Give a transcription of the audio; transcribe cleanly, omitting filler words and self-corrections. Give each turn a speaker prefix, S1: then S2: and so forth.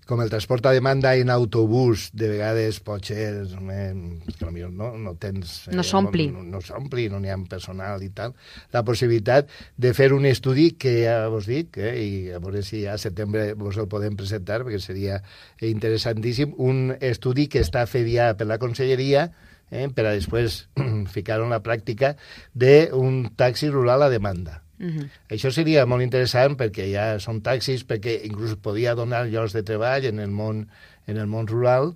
S1: com el transport a demanda en autobús, de vegades pot ser que potser no tens...
S2: No s'ompli.
S1: No s'ompli, no n'hi ha personal i tal. La possibilitat de fer un estudi que ja vos dic, i a veure si a setembre vos el podem presentar, perquè seria interessantíssim, un estudi que està fet ja per la Conselleria per a després ficar-ho en la pràctica d'un taxi rural a demanda. Això seria molt interessant perquè ja són taxis, perquè inclús podia donar llocs de treball en el món rural,